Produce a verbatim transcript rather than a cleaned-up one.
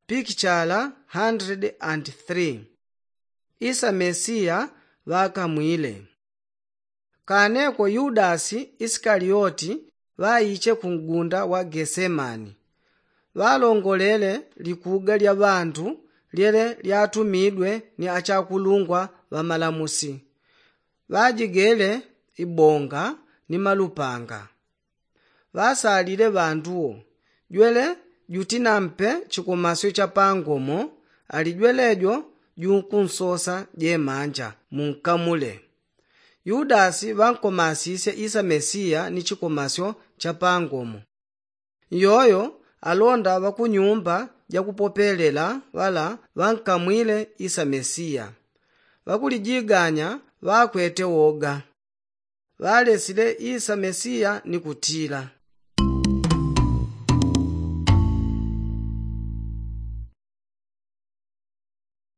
Pikichala hundred and three. Isa mesiya ŵakamwile. Kaneko yudasi isikalioti ŵaiche ku ngunda wa gesemani. Ŵalongolele likuga lya ŵandu lyele lyatumidwe ni achakulungwa ŵamalamusi. Ŵajigele ibonga ni malupanga. Ŵasalile ŵanduwo, jwele jutinampe chikomasyo cha pangomo, ali jwelejo junkunsosa jemanja munkamule. Yudasi ŵankomasisye isa mesiya ni chikomasyo cha pangomo. Iyoyo alonda ŵa ku nyumba jakupopelela ŵala ŵankamwile isa mesiya. Ŵakulijiganya ŵakwete woga. Ŵalesile isa mesiya ni kutila,